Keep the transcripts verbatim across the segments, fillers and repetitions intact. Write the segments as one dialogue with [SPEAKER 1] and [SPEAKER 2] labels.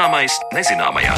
[SPEAKER 1] Zināmais nezināmajā.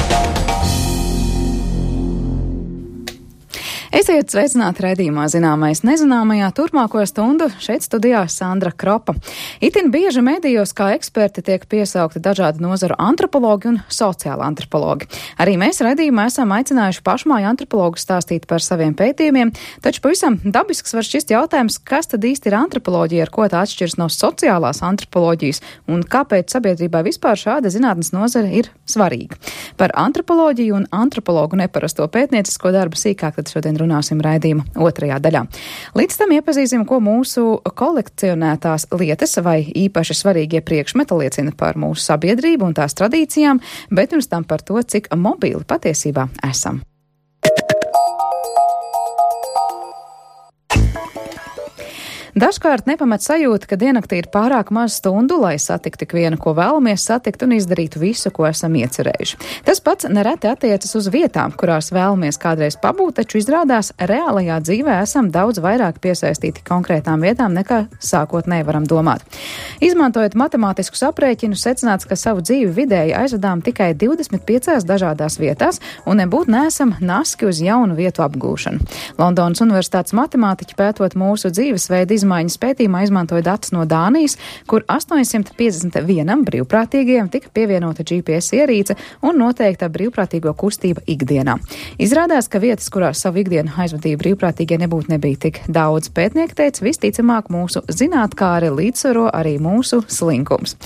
[SPEAKER 2] Esiet sveicināti raidījumā Zināmais nezināmajā. Turpmāko stundu šeit studijā Sandra Kropa. Itin bieži medijos kā eksperti tiek piesaukti dažādu nozaru antropologi un sociāli antropologi. Arī mēs raidījumā esam aicinājuši pašmāju antropologus stāstīt par saviem pētījumiem, taču pavisam dabisks var šķist jautājums, kas tad īsti ir antropoloģija, ar ko tā atšķiras no sociālās antropoloģijas un kāpēc sabiedrībā vispār šāda zinātnes nozara ir svarīga. Par antropoloģiju un antropologu neparasto pētniecisko darbu sīkāk tad šodien runāsim raidījuma otrajā daļā. Līdz tam iepazīsim, ko mūsu kolekcionētās lietas vai īpaši svarīgie priekšmeti liecina par mūsu sabiedrību un tās tradīcijām, bet pirms tam par to, cik mobili patiesībā esam. Dažkārt nepamat sajūta, ka diennaktī ir pārāk maz stundu, lai satiktu tik vienu, ko vēlamies satikt un izdarītu visu, ko esam iecerējuši. Tas pats nereti attiecas uz vietām, kurās vēlamies kādreiz pabūt, taču izrādās reālajā dzīvē esam daudz vairāk piesaistīti konkrētām vietām, nekā sākotnēji varam domāt. Izmantojot matemātiskus aprēķinus, secināts, ka savu dzīvi vidēji aizvadām tikai divdesmit piecās dažādās vietās un nebūtu neesam naski uz jaunu vietu apgūšanu. Londonas Universitātes matemātiķi pētot mūsu dzīvesveidu izmaiņas pētījumā izmantoja datus no Dānijas, kur astoņsimt piecdesmit vienam brīvprātīgajam tika pievienota G P S ierīce un noteikta brīvprātīgo kustība ikdienā. Izrādās, ka vietas, kurās savu ikdienu aizvadīja brīvprātīgie, nebūtu nebija tik daudz. Pētnieki teica, visticamāk mūsu zinātkāri līdzsvaro arī mūsu slinkums.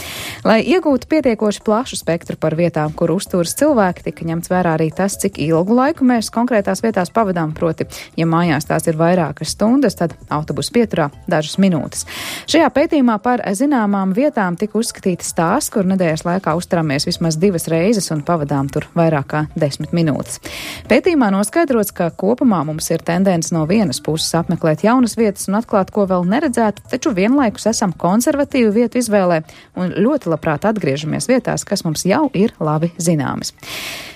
[SPEAKER 2] Lai iegūtu pietiekoši plašu spektru par vietām, kur uzturas cilvēki, tika ņemts vērā arī tas, cik ilgu laiku mēs konkrētās vietās pavadām, proti, ja mājās tās ir vairākas stundas, tad autobusu pieturā dažas minūtes. Šajā pētījumā par zināmām vietām tika uzskatītas tās, kur nedēļas laikā uzturamies vismaz divas reizes un pavadām tur vairāk kā desmit minūtes. Pētījumā noskaidrots, ka kopumā mums ir tendence no vienas puses apmeklēt jaunas vietas un atklāt, ko vēl neredzētu, taču vienlaikus esam konservatīvu vietu izvēlē un ļoti labprāt atgriežamies vietās, kas mums jau ir labi zināmas.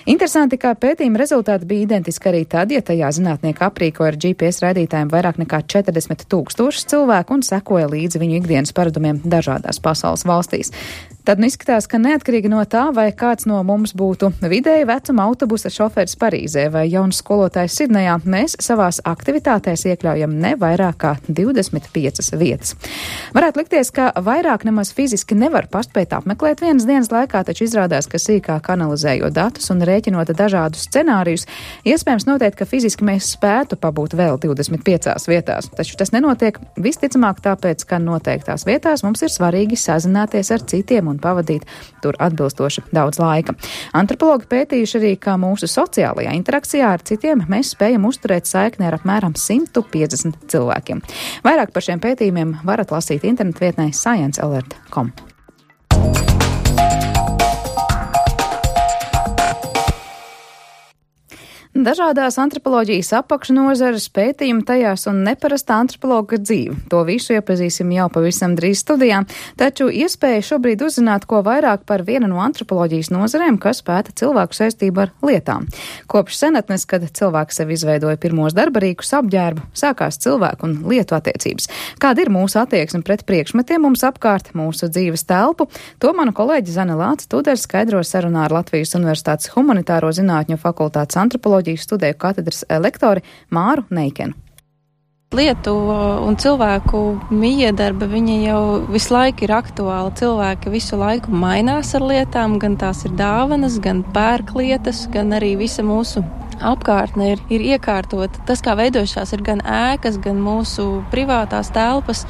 [SPEAKER 2] Interesanti, kā pētījuma rezultāti bija identiski arī tad, ja tajā zinātnieki aprīkoja ar G P S raidītājiem vairāk nekā četrdesmit tūkstošus cilvēku un sekoja līdzi viņu ikdienas paradumiem dažādās pasaules valstīs. Tad nu izskatās, ka neatkarīgi no tā, vai kāds no mums būtu vidēji vecuma autobusa šoferis Parīzē vai jauns skolotājs Sidnejā, mēs savās aktivitātēs iekļaujam ne vairāk kā divdesmit piecas vietas. Varētu likties, ka vairāk nemaz fiziski nevar paspēt apmeklēt vienas dienas laikā, taču izrādās, ka sīkāk analizējot datus un rēķinot dažādus scenārijus, iespējams noteikt, ka fiziski mēs spētu pabūt vēl divdesmit piecās vietās. Taču tas nenotiek visticamāk tāpēc, ka noteiktās vietās mums ir svarīgi sazināties ar citiem un pavadīt tur atbilstoši daudz laika. Antropologi pētījuši arī, ka mūsu sociālajā interakcijā ar citiem mēs spējam uzturēt saikni ar apmēram simt piecdesmit cilvēkiem. Vairāk par šiem pētījumiem varat lasīt internetvietnē science alert dot com. Dažādās antropoloģijas apakšnozares, pētījumi tajās un neparasta antropologa dzīve. To visu iepazīsim jau pavisam drīz studijā, taču iespēja šobrīd uzzināt ko vairāk par vienu no antropoloģijas nozarēm, kas pēta cilvēku saistību ar lietām. Kopš senatnes, kad cilvēks sev izveidoja pirmos darbarīkus apģērbu, sākās cilvēku un lietu attiecības. Kāda ir mūsu attieksme pret priekšmetiem mums apkārt, mūsu dzīves telpu? To manu kolēģi Zane Lāce Tuders skaidro sarunā ar Latvijas Universitātes humanitāro zinātņu fakultātes antropoloģiju studēju katedras lektori Māru Neikenu.
[SPEAKER 3] Lietu un cilvēku miedarba, viņa jau visu laiku ir aktuāla. Cilvēki visu laiku mainās ar lietām, gan tās ir dāvanas, gan pērk lietas, gan arī visa mūsu apkārtne ir, ir iekārtota. Tas, kā veidojušās, ir gan ēkas, gan mūsu privātās telpas.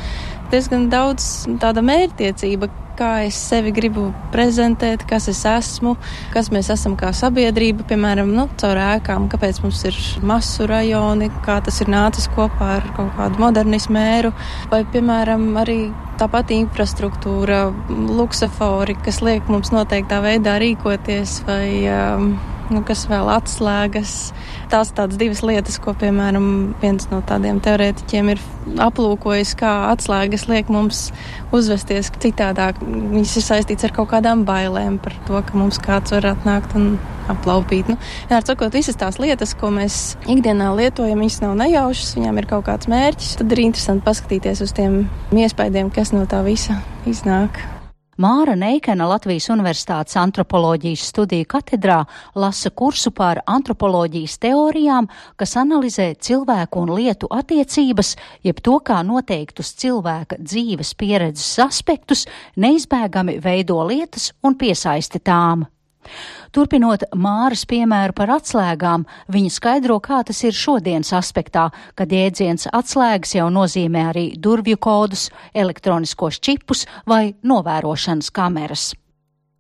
[SPEAKER 3] Diezgan daudz tāda mērķtiecība, kā es sevi gribu prezentēt, kas es esmu, kas mēs esam kā sabiedrība, piemēram, nu, caur ēkām, kāpēc mums ir masu rajoni, kā tas ir nācis kopā ar kaut kādu modernismu mēru, vai, piemēram, arī tā pati infrastruktūra, luksofori, kas liek mums noteiktā veidā rīkoties, vai um, nu, kas vēl atslēgas. Tās tādas divas lietas, ko, piemēram, viens no tādiem teorētiķiem ir aplūkojis, kā atslēgas liek mums uzvesties citādāk. Viņas ir saistīts ar kaut kādām bailēm par to, ka mums kāds var atnākt un aplaupīt. Nu, vienmēr sakot, visas tās lietas, ko mēs ikdienā lietojam, viņas nav nejaušas, viņām ir kaut kāds mērķis. Tad ir interesanti paskatīties uz tiem iespaidiem, kas no tā visa iznāk.
[SPEAKER 1] Māra Neikena Latvijas Universitātes antropoloģijas studiju katedrā lasa kursu par antropoloģijas teorijām, kas analizē cilvēku un lietu attiecības, jeb to, kā noteiktus cilvēka dzīves pieredzes aspektus neizbēgami veido lietas un piesaisti tām. Turpinot Māras piemēru par atslēgām, viņa skaidro, kā tas ir šodienas aspektā, kad jēdziens atslēgas jau nozīmē arī durvju kodus, elektroniskos čipus vai novērošanas kameras.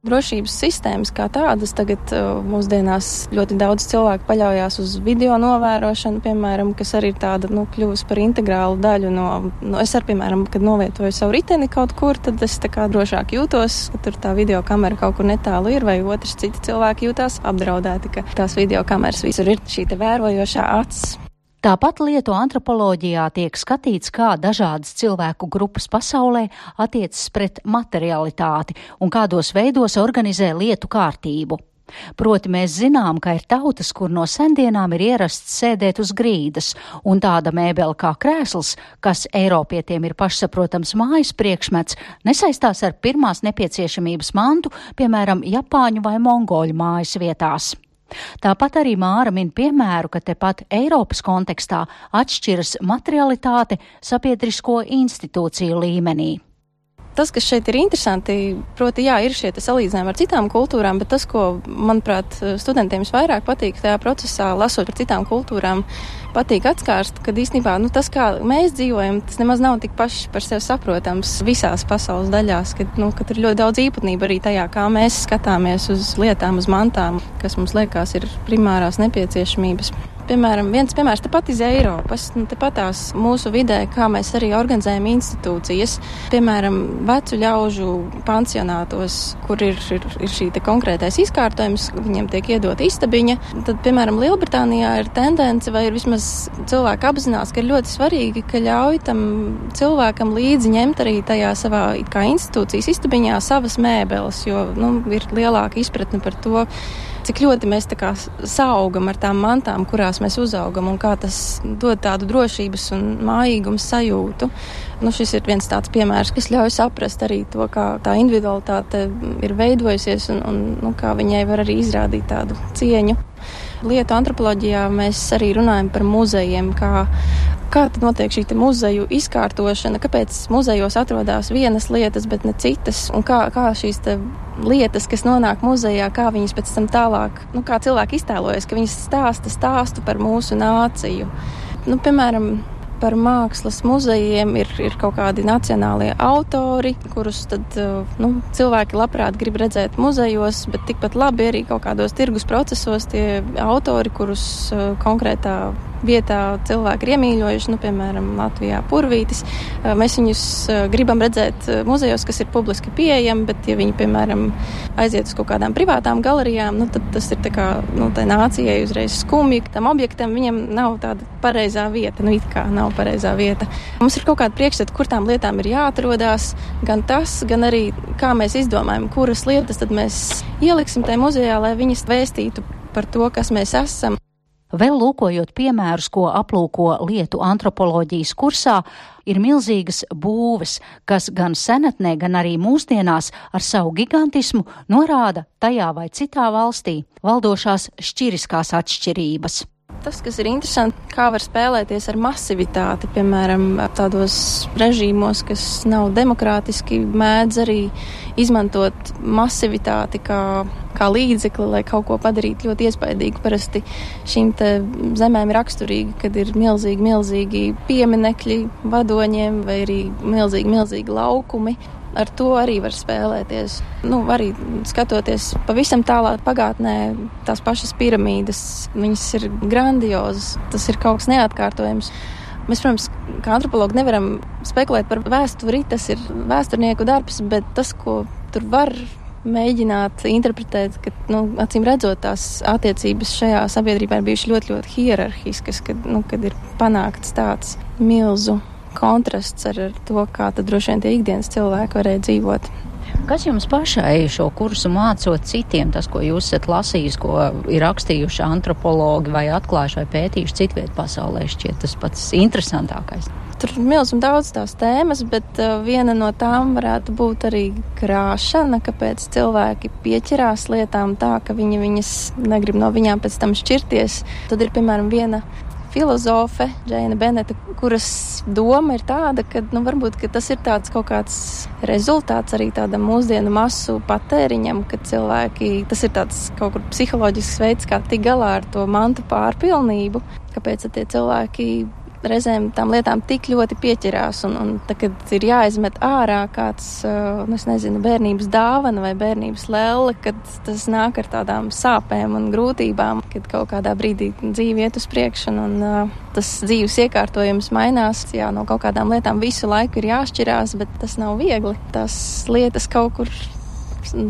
[SPEAKER 3] Drošības sistēmas kā tādas tagad mūsdienās ļoti daudz cilvēku paļaujās uz video novērošanu, piemēram, kas arī ir tāda, nu, kļuvusi par integrālu daļu no, no es ar, piemēram, kad novietoju savu riteni kaut kur, tad es tā kā drošāk jūtos, ka tur tā video kamera kaut kur netālu ir, vai otrs citi cilvēki jūtās apdraudēti, ka tās video kameras visur ir šī te vērojošā acs.
[SPEAKER 1] Tāpat lietu antropoloģijā tiek skatīts, kā dažādas cilvēku grupas pasaulē attiecas pret materialitāti un kādos veidos organizē lietu kārtību. Proti mēs zinām, ka ir tautas, kur no sendienām ir ierasts sēdēt uz grīdas, un tāda mēbele kā krēsls, kas Eiropietiem ir pašsaprotams mājas priekšmets, nesaistās ar pirmās nepieciešamības mantu, piemēram, Japāņu vai Mongoļu mājas vietās. Tāpat arī Māra min piemēru, ka tepat Eiropas kontekstā atšķiras materialitāte sabiedrisko institūciju līmenī.
[SPEAKER 3] Tas, kas šeit ir interesanti, proti, jā, ir šie salīdzinājumi ar citām kultūrām, bet tas, ko, manuprāt, studentiem visvairāk patīk tajā procesā, lasot par citām kultūrām, patīk atskārst, kad īstenībā, nu, tas, kā mēs dzīvojam, tas nemaz nav tik paši par sevi saprotams visās pasaules daļās, kad, nu, kad ir ļoti daudz īpatnību arī tajā, kā mēs skatāmies uz lietām, uz mantām, kas mums liekas ir primārās nepieciešamības. Piemēram, viens piemērs tepat iz Eiropas, nu, tepatās mūsu vidē, kā mēs arī organizējam institūcijas. Piemēram, vecu ļaužu pansionātos, kur ir, ir, ir šī te konkrētais izkārtojums, viņiem tiek iedota istabiņa. Tad, piemēram, Lielbritānijā ir tendence, vai ir vismaz cilvēki apzinās, ka ir ļoti svarīgi, ka ļauj tam cilvēkam līdzi ņemt arī tajā savā kā institūcijas istabiņā savas mēbeles, jo, nu, ir lielāka izpratne par to, cik ļoti mēs tā kā saugam ar tām mantām, kurās mēs uzaugam, un kā tas dod tādu drošības un mājīgumu sajūtu. Nu, šis ir viens tāds piemērs, kas ļauj saprast arī to, kā tā individualitāte ir veidojusies un, un nu, kā viņai var arī izrādīt tādu cieņu. Lietu antropoloģijā mēs arī runājam par muzejiem, kā Kā tad notiek šī te muzeju izkārtošana, kāpēc muzejos atrodas vienas lietas, bet ne citas, un kā, kā šīs te lietas, kas nonāk muzejā, kā viņas pēc tam tālāk, nu kā cilvēki iztēlojas, ka viņas stāsta stāstu par mūsu nāciju. Nu, piemēram, par mākslas muzejiem ir, ir kaut kādi nacionālie autori, kurus tad, nu, cilvēki labprāt grib redzēt muzejos, bet tikpat labi arī kaut kādos tirgus procesos tie autori, kurus konkrētā vietā cilvēki ir iemīļojuši, nu, piemēram, Latvijā Purvītis. Mēs viņus gribam redzēt muzejos, kas ir publiski pieejami, bet ja viņi, piemēram, aiziet uz kaut kādām privātām galerijām, nu, tad tas ir tā kā, nu, tai nācijai uzreiz skumji. Tam objektam viņam nav tāda pareizā vieta, nu, it kā nav pareizā vieta. Mums ir kaut kāda priekšstata, kur tām lietām ir jāatrodās, gan tas, gan arī kā mēs izdomājam, kuras lietas tad mēs ieliksim tajā muzejā, lai viņas vēstītu par to, kas mēs esam.
[SPEAKER 1] Vēl lūkojot piemērus, ko aplūko lietu antropoloģijas kursā, ir milzīgas būves, kas gan senatnē, gan arī mūsdienās ar savu gigantismu norāda tajā vai citā valstī valdošās šķiriskās atšķirības.
[SPEAKER 3] Tas, kas ir interesanti, kā var spēlēties ar masivitāti, piemēram, tādos režīmos, kas nav demokrātiski, mēdz arī izmantot masivitāti kā, kā līdzekli, lai kaut ko padarītu ļoti iespaidīgu. Parasti šīm te zemēm ir raksturīgi, kad ir milzīgi, milzīgi pieminekļi vadoņiem vai arī milzīgi, milzīgi laukumi. Ar to arī var spēlēties. Nu, arī skatoties pavisam tālā pagātnē, tās pašas piramīdas, viņas ir grandiozas, tas ir kaut kas neatkārtojams. Mēs, protams, kā antropologi nevaram spekulēt par vēsturi, tas ir vēsturnieku darbs, bet tas, ko tur var mēģināt interpretēt, ka, nu, acīm redzot, tās attiecības šajā sabiedrībā ir bijušas ļoti, ļoti hierarhiskas, kad, nu, kad ir panākts tāds milzu kontrasts ar to, kā tad droši vien tie ikdienas cilvēki varēja dzīvot.
[SPEAKER 1] Kas jums pašai šo kursu mācot citiem, tas, ko jūs esat lasījis, ko ir rakstījuši antropologi vai atklājuši vai pētījuši citvietu pasaulē, šķiet tas pats interesantākais?
[SPEAKER 3] Tur ir milz un daudz tās tēmas, bet uh, viena no tām varētu būt arī krāšana, kāpēc cilvēki pieķerās lietām tā, ka viņi viņas negrib no viņām pēc tam šķirties. Tad ir, piemēram, viena filozofe, Džeina Beneta, kuras doma ir tāda, ka, nu, varbūt, ka tas ir tāds kaut kāds rezultāts arī tādam mūsdienu masu patēriņam, ka cilvēki, tas ir tāds kaut kur psiholoģisks veids, kā tik galā ar to mantu pārpilnību, kāpēc tie cilvēki reizēm tām lietām tik ļoti pieķerās, un, un tā, kad ir jāizmet ārā kāds, nu, es nezinu, bērnības dāvana vai bērnības lelle, kad tas nāk ar tādām sāpēm un grūtībām, kad kaut kādā brīdī dzīve iet uz priekšu, un uh, tas dzīves iekārtojums mainās, jā, no kaut kādām lietām visu laiku ir jāšķirās, bet tas nav viegli. Tās lietas kaut kur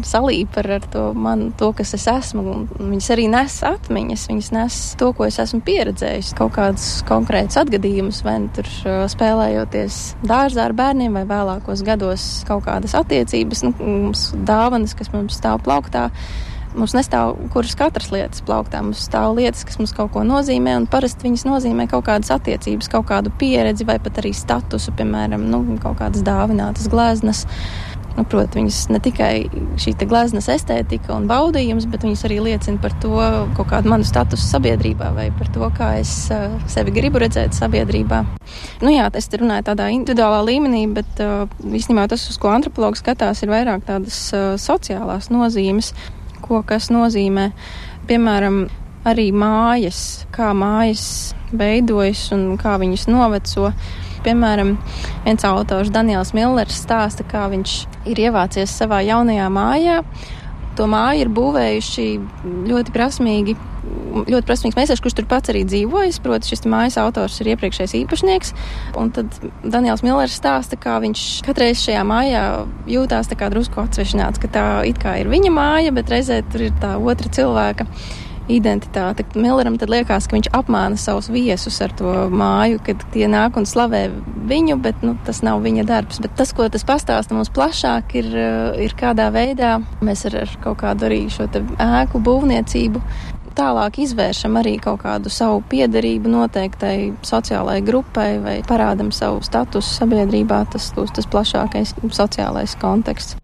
[SPEAKER 3] salīp ar, ar to, man, to, kas es esmu, un viņas arī nes atmiņas, viņas nes to, ko es esmu pieredzējis, kaut kādus konkrētus atgadījumus, vai tur spēlējoties dārzā ar bērniem, vai vēlākos gados kaut kādas attiecības, nu, mums dāvanas, kas mums stāv plauktā. Mums nestāv kuras katras lietas plauktā, mums stāv lietas, kas mums kaut ko nozīmē, un parasti viņas nozīmē kaut kādas attiecības, kaut kādu pieredzi, vai pat arī statusu, piemēram, nu, kaut kādas dāvinātas gleznas. Nu, proti, viņas ne tikai šī te gleznas estētika un baudījums, bet viņas arī liecina par to kaut kādu manu statusu sabiedrībā vai par to, kā es uh, sevi gribu redzēt sabiedrībā. Nu jā, es te runāju tādā individuālā līmenī, bet uh, īstenībā tas, uz ko antropologi skatās, ir vairāk tādas uh, sociālās nozīmes, ko kas nozīmē. Piemēram, arī mājas, kā mājas veidojas un kā viņas noveco. Piemēram, viens autors Daniels Millers stāsta, kā viņš ir ievācies savā jaunajā mājā. To māju ir būvējuši ļoti prasmīgi, ļoti prasmīgs meistars, kurš tur pats arī dzīvojas. Proti, šis mājas autors ir iepriekšējais īpašnieks. Un tad Daniels Millers stāsta, kā viņš katreiz šajā mājā jūtās tā kā drusku atsvešināts, ka tā it kā ir viņa māja, bet reizē tur ir tā otra cilvēka identitāte. Milleram tad liekas, ka viņš apmāna savus viesus ar to māju, kad tie nāk un slavē viņu, bet nu, tas nav viņa darbs. Bet tas, ko tas pastāsta mums plašāk, ir, ir kādā veidā mēs ar, ar kaut kādu arī šo te ēku būvniecību tālāk izvēršam arī kaut kādu savu piederību noteiktai sociālai grupai vai parādam savu statusu sabiedrībā, tas, tas plašākais sociālais konteksts.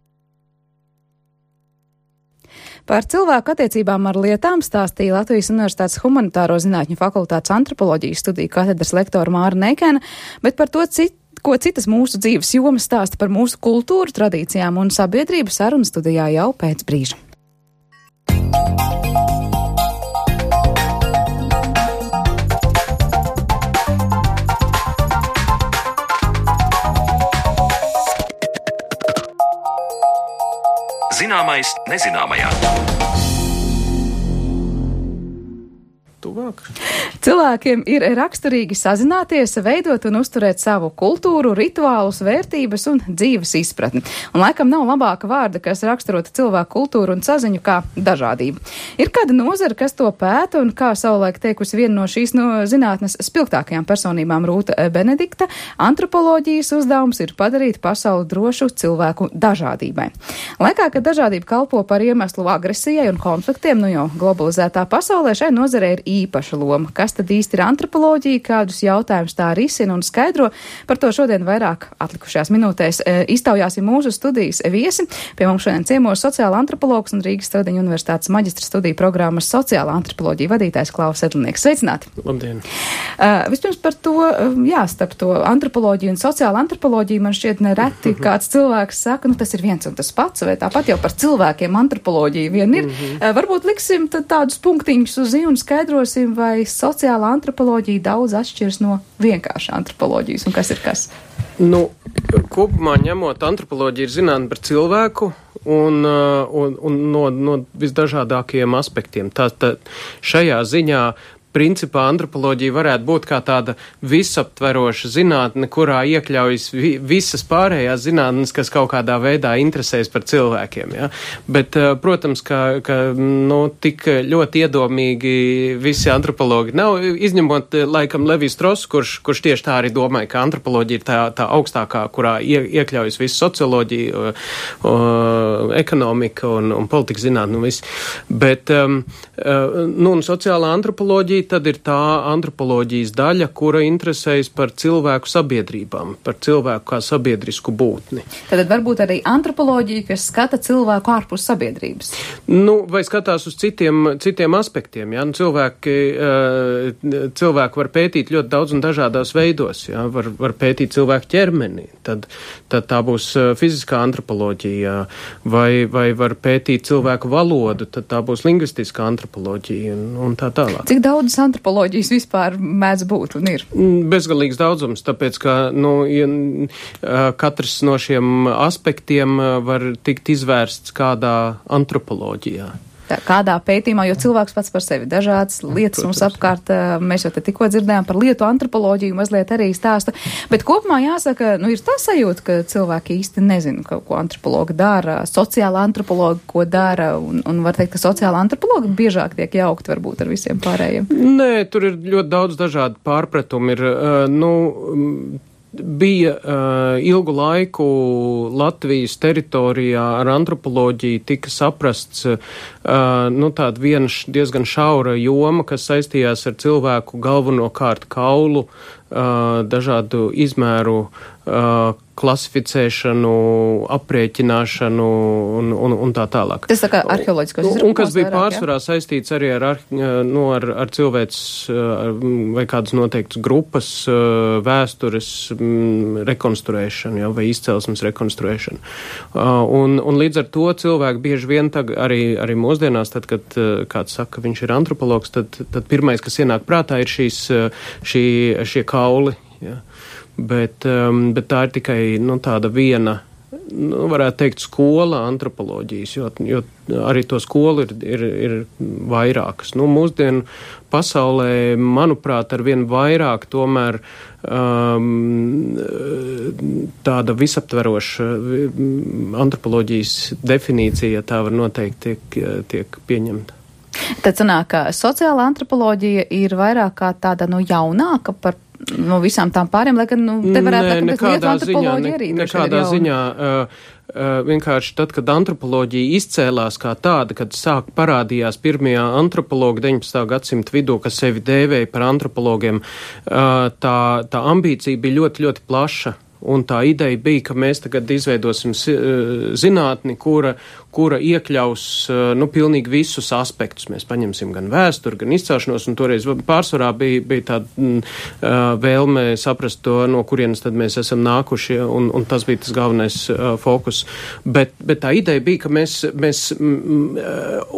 [SPEAKER 2] Par cilvēku attiecībām ar lietām stāstīja Latvijas Universitātes Humanitāro zinātņu fakultātes antropoloģijas studiju katedras lektora Māra Neikena, bet par to, cit, ko citas mūsu dzīves jomas stāsta par mūsu kultūru, tradīcijām un sabiedrību sarunu studijā jau pēc brīža.
[SPEAKER 4] Zināmais nezināmajā. Tuvāk.
[SPEAKER 2] Cilvēkiem ir raksturīgi sazināties, veidot un uzturēt savu kultūru, rituālus, vērtības un dzīves izpratni. Un laikam nav labāka vārda, kas raksturota cilvēku kultūru un saziņu kā dažādību. Ir kāda nozara, kas to pēta, un kā savulaik teikusi viena no šīs no zinātnes spilgtākajām personībām Rūta Benedikta, antropoloģijas uzdevums ir padarīt pasauli drošu cilvēku dažādībai. Laikā, kad dažādība kalpo par iemeslu agresijai un konfliktiem, nu jau globalizētā pasaulē, šai nozarei ir īpaša loma. Kas tad īsti ir antropoloģija, kādus jautājumus tā risina un skaidro? Par to šodien vairāk atlikušajās minūtēs e, iztaujāsim mūsu studijas viesi. Pie mums šodien ciemos sociāla antropologs un Rīgas Stradiņu universitātes maģistra studiju programmas sociālā antropoloģija vadītājs Klaus Edlnieks. Sveicināti!
[SPEAKER 5] Labdien!
[SPEAKER 2] Uh, vispirms par to, jā, starp to antropoloģiju un sociāla antropoloģiju man šķiet nereti kāds cilvēks saka, nu tas ir viens un tas pats, vai tāpat jau par cilvēkiem antropoloģija vien ir. Uh, varbūt liksim tad tādus punktiņus uz i un skaidrosim, vai sociālā antropoloģija daudz atšķiras no vienkārša antropoloģijas, un kas ir kas?
[SPEAKER 5] Nu, kopumā ņemot, antropoloģija ir zinātne par cilvēku un, un, un no, no visdažādākajiem aspektiem. Tā, tā, šajā ziņā principā antropoloģija varētu būt kā tāda visaptveroša zinātne, kurā iekļaujas vi, visas pārējās zinātnes, kas kaut kādā veidā interesēs par cilvēkiem. Ja? Bet, protams, ka, ka nu, tik ļoti iedomīgi visi antropologi nav, izņemot laikam Levijs Strauss, kurš, kurš tieši tā arī domāja, ka antropoloģija ir tā, tā augstākā, kurā ie, iekļaujas visu socioloģiju, o, o, ekonomika un, un politika zinātne un viss. Bet, um, nu, un sociālā antropoloģija tad ir tā antropoloģijas daļa, kura interesējas par cilvēku sabiedrībām, par cilvēku kā sabiedrisku būtni.
[SPEAKER 2] Tad varbūt arī antropoloģija, kas skata cilvēku ārpus sabiedrības.
[SPEAKER 5] Nu, vai skatās uz citiem, citiem aspektiem, jā, nu, cilvēki, cilvēki var pētīt ļoti daudz un dažādās veidos, jā, var, var pētīt cilvēku ķermeni, tad, tad tā būs fiziskā antropoloģija, vai, vai var pētīt cilvēku valodu, tad tā būs lingvistiskā antropoloģija un, un tā tālāk.
[SPEAKER 2] Cik daudz antropoloģijas vispār mēdz būt un ir?
[SPEAKER 5] Bezgalīgs daudzums, tāpēc, ka, nu, ja, katrs no šiem aspektiem var tikt izvērsts kādā antropoloģijā.
[SPEAKER 2] Tā, kādā pētījumā, jo cilvēks pats par sevi dažādas lietas Protams. Mums apkārt, mēs jau te tikko dzirdējām par lietu antropoloģiju, mazliet arī stāsta, bet kopumā jāsaka, nu ir tā sajūta, ka cilvēki īsti nezina, ko, ko antropologi dara, sociāla antropologi, ko dara, un, un var teikt, ka sociāla antropologi biežāk tiek jaukt varbūt ar visiem pārējiem.
[SPEAKER 5] Nē, tur ir ļoti daudz dažādu pārpratumu, ir, uh, nu, bija uh, ilgu laiku Latvijas teritorijā ar antropoloģiju tika saprasts uh, nu, tāda viena diezgan šaura joma, kas saistījās ar cilvēku galvenokārt kaulu, uh, dažādu izmēru uh, klasificēšanu, aprēķināšanu un, un, un tā tālāk.
[SPEAKER 2] Tas tā kā arheoloģiskos izrūpums.
[SPEAKER 5] Un kas bija
[SPEAKER 2] vairāk,
[SPEAKER 5] pārsvarā ja? saistīts arī ar, ar, nu, ar, ar cilvēks vai kādas noteiktas grupas vēstures rekonstruēšanu, ja, vai izcelsmes rekonstruēšanu. Un, un līdz ar to cilvēki bieži vien tag, arī, arī mūsdienās, tad, kad kāds saka, viņš ir antropologs, tad, tad pirmais, kas ienāk prātā, ir šīs, šī, šie kauli, ja. Bet, um, bet tā ir tikai nu, tāda viena, nu, varētu teikt, skola antropoloģijas, jo, jo arī to skolu ir, ir, ir vairākas. Nu, mūsdienu pasaulē, manuprāt, ar vien vairāk tomēr um, tāda visaptveroša antropoloģijas definīcija, tā var noteikti tiek, tiek pieņemta.
[SPEAKER 2] Tad sanāk, ka sociāla antropoloģija ir vairāk kā tāda nu, jaunāka par no visām tām pāriem, lai gan nu, te varētu teikt, ka lietu antropoloģija arī.
[SPEAKER 5] Ne, nekādā ziņā. Uh, uh, vienkārši tad, kad antropoloģija izcēlās kā tāda, kad sāk parādījās pirmie antropologi deviņpadsmitā gadsimta vidū, kas sevi dēvēja par antropologiem, uh, tā, tā ambīcija bija ļoti, ļoti plaša. Un tā ideja bija, ka mēs tagad izveidosim zinātni, kura, kura iekļaus nu, pilnīgi visus aspektus. Mēs paņemsim gan vēsturi, gan izcelšanos, un toreiz pārsvarā bija, bija tāda mm, vēlme saprast to, no kurienes tad mēs esam nākuši, un, un tas bija tas galvenais uh, fokus. Bet, bet tā ideja bija, ka mēs, mēs mm,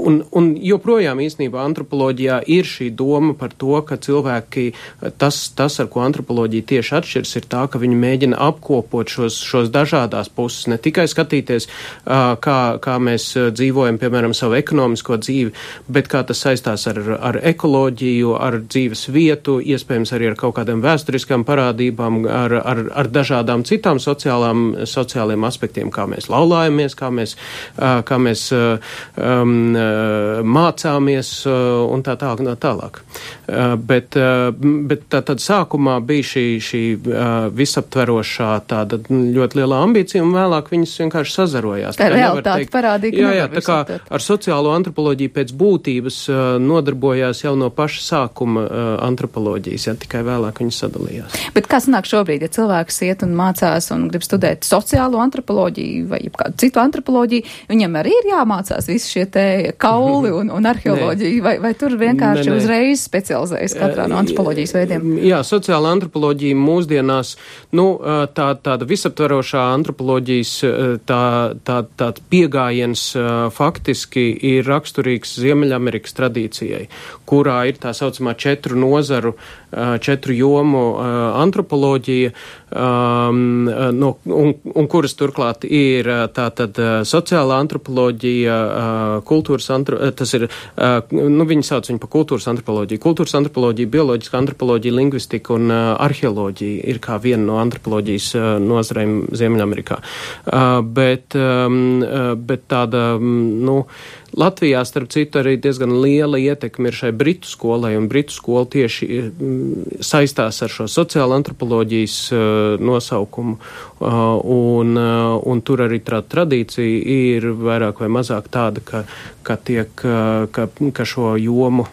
[SPEAKER 5] un, un joprojām īstenībā antropoloģijā ir šī doma par to, ka cilvēki, tas, tas ar ko antropoloģija tieši atšķirs, ir tā, ka viņi mēģina apkopot šos, šos dažādās puses, ne tikai skatīties, uh, kā, kā mēs dzīvojam, piemēram, savu ekonomisko dzīvi, bet kā tas saistās ar, ar ekoloģiju, ar dzīves vietu, iespējams arī ar kaut kādām vēsturiskām parādībām, ar, ar, ar dažādām citām sociālām, sociāliem aspektiem, kā mēs laulājamies, kā mēs, uh, kā mēs uh, um, uh, mācāmies uh, un tā tālāk. Tā tālāk. Uh, bet uh, bet tā, tad sākumā bija šī, šī uh, visaptveroša tāda ļoti liela ambīcija, un vēlāk viņas vienkārši sazarojās.
[SPEAKER 2] Tā realitāte parādīja, ka
[SPEAKER 5] jā, jā, tā kā ar sociālo antropoloģiju pēc būtības uh, nodarbojās jau no paša sākuma uh, antropoloģijas, ja tikai vēlāk viņas sadalījās.
[SPEAKER 2] Bet kā sanāk šobrīd, ja cilvēks iet un mācās un grib studēt sociālo antropoloģiju vai kādu citu antropoloģiju, viņam arī ir jāmācās visi šie te kauli un, un arheoloģija, vai, vai tur vienkārši ne, ne. uzreiz specializējas katrā no antropoloģijas veidiem?
[SPEAKER 5] Jā, sociāla antropoloģija mūsdienās, nu, tā, tāda visaptverošā antropoloģijas tā, tā, tāds piegājiens faktiski ir raksturīgs Ziemeļamerikas tradīcijai, kurā ir tā saucamā četru nozaru, četru jomu antropoloģija, um, no, un, un kuras turklāt ir tātad sociālā antropoloģija, kultūras antropoloģija, tas ir, nu, viņi sauc viņu par kultūras antropoloģiju, kultūras antropoloģija, bioloģiska antropoloģija, lingvistika un arheoloģija ir kā viena no antropoloģijas nozarēm Ziemeļamerikā. Bet, bet tāda, nu, Latvijā, starp citu, arī diezgan liela ietekme ir šai britu skolai, un britu skola tieši saistās ar šo sociālo antropoloģijas uh, nosaukumu, uh, un, uh, un tur arī tā tradīcija ir vairāk vai mazāk tāda, ka, ka, tiek, uh, ka, ka šo jomu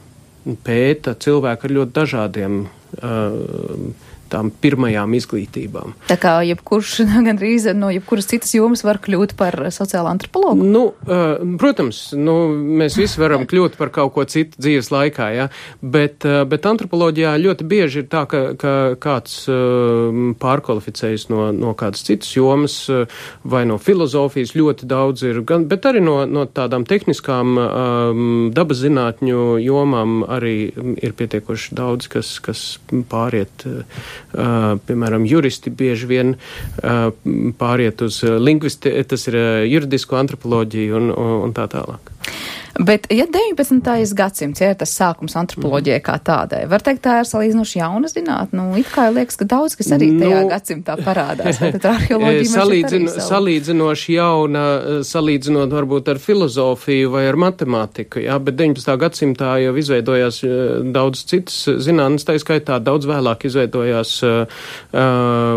[SPEAKER 5] pēta cilvēku ar ļoti dažādiem uh, tām pirmajām izglītībām.
[SPEAKER 2] Tā kā jebkurš gandrīz no jebkuras citas jomas var kļūt par sociālu antropologu?
[SPEAKER 5] Nu, uh, protams, nu, mēs visi varam kļūt par kaut ko citu dzīves laikā, ja? bet, uh, bet antropoloģijā ļoti bieži ir tā, ka, ka kāds uh, pārkvalificējas no, no kādas citas jomas uh, vai no filozofijas ļoti daudz ir, gan, bet arī no, no tādām tehniskām um, dabas zinātņu jomām arī ir pietiekoši daudz, kas, kas pāriet uh, Uh, piemēram, juristi bieži vien uh, pāriet uz lingvisti, tas ir uh, juridisko antropoloģiju un, un, un tā tālāk.
[SPEAKER 2] Bet, ja deviņpadsmitais gadsimts, ja ir tas sākums antropoloģijai kā tādai, var teikt, tā ir salīdzinoši jauna zinātne. Nu, it kā liekas, ka daudz, kas arī tajā nu, gadsimtā parādās. Tad arheoloģija
[SPEAKER 5] salīdzin, salīdzinoši jauna, salīdzinot varbūt ar filozofiju vai ar matemātiku, jā, bet deviņpadsmitā gadsimtā jau izveidojās daudz citas zinātnes, tā skaitā daudz vēlāk izveidojās, uh,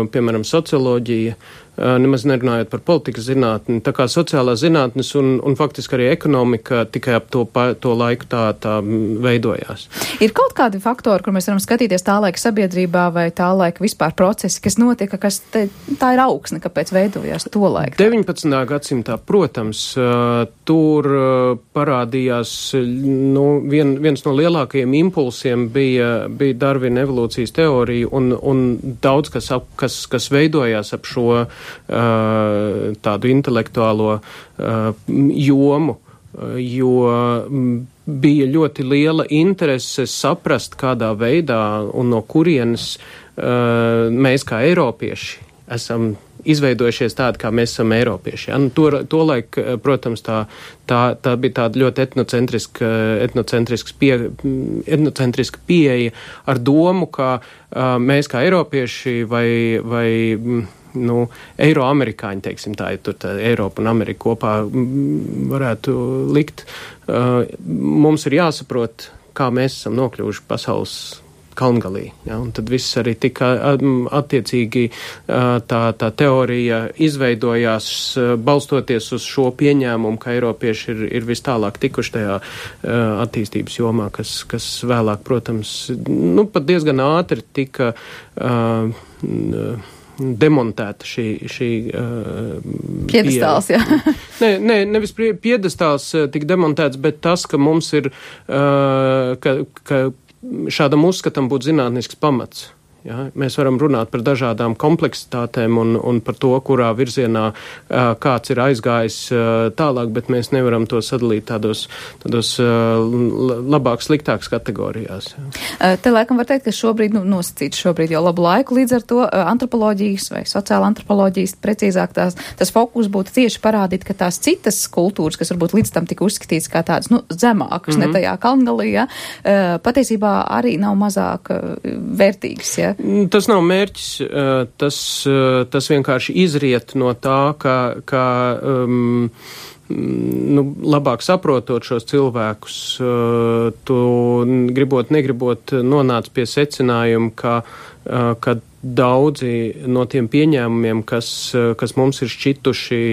[SPEAKER 5] piemēram, socioloģija. Nemaz nerunājot par politikas zinātni, tā kā sociālās zinātnes un, un faktiski arī ekonomika tikai ap to, pa, to laiku tā, tā veidojās.
[SPEAKER 2] Ir kaut kādi faktori, kur mēs varam skatīties tā laika sabiedrībā vai tā laika vispār procesi, kas notika, kas te, tā ir augsne, kāpēc veidojās to laiku?
[SPEAKER 5] deviņpadsmitā gadsimtā, protams, tur parādījās, nu, vien, viens no lielākajiem impulsiem bija, bija Darvina evolūcijas teorija un, un daudz, kas, ap, kas, kas veidojās ap šo Uh, tādu intelektuālo uh, jomu, uh, jo bija ļoti liela interese saprast, kādā veidā un no kurienes uh, mēs kā eiropieši esam izveidojušies tādi, kā mēs esam eiropieši. Ja? Nu, to, to laik, protams, tā, tā, tā bija tāda ļoti etnocentriska, etnocentriska, pie, etnocentriska pieeja ar domu, ka uh, mēs kā eiropieši vai, vai nu, eiroamerikāņi, teiksim tā, ja tur tā Eiropa un Amerika kopā varētu likt. Uh, mums ir jāsaprot, kā mēs esam nokļuvuši pasaules kalngalī. Ja, un tad viss arī tika attiecīgi tā, tā teorija izveidojās balstoties uz šo pieņēmumu, ka eiropieši ir, ir vis tālāk tikuši tajā attīstības jomā, kas, kas vēlāk, protams, nu, pat diezgan ātri tika uh, demontēta šī, šī uh,
[SPEAKER 2] piedestāls, jā.
[SPEAKER 5] Nē, nē, nevis piedestāls tika demontēts, bet tas, ka mums ir, uh, ka, ka šādam uzskatam būtu zinātnisks pamats. Ja, mēs varam runāt par dažādām kompleksitātēm un, un par to, kurā virzienā uh, kāds ir aizgājis uh, tālāk, bet mēs nevaram to sadalīt tādos, tādos uh, labāk, sliktākas kategorijās. Ja.
[SPEAKER 2] Uh, te laikam var teikt, ka šobrīd, nu, nosacīts šobrīd jau labu laiku, līdz ar to uh, antropoloģijas vai sociāla antropoloģijas, precīzāk tās, tas fokus būtu tieši parādīt, ka tās citas kultūras, kas varbūt līdz tam tika uzskatīts kā tādas, nu, zemākas, mm-hmm. ne tajā kalngalī, ja, uh, patiesībā arī nav mazāk uh, vērtīgas, ja.
[SPEAKER 5] Tas nav mērķis, tas, tas vienkārši izriet no tā, ka, ka um, nu, labāk saprotot šos cilvēkus, tu gribot, negribot nonāc pie secinājuma, ka, ka daudzi no tiem pieņēmumiem, kas, kas mums ir šķituši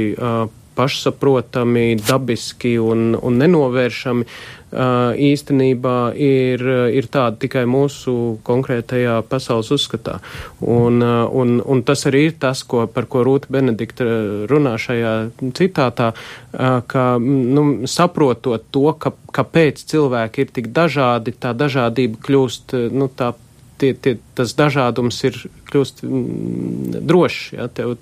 [SPEAKER 5] pašsaprotami, dabiski un, un nenovēršami, īstenībā ir, ir tāda tikai mūsu konkrētajā pasaules uzskatā. Un, un, un tas arī ir tas, ko, par ko Rūta Benedikta runā šajā citātā, ka, nu, saprotot to, ka, kāpēc cilvēki ir tik dažādi, tā dažādība kļūst, nu, tā Tie, tie, tas dažādums ir kļūst mm, drošs. Ja? Tev,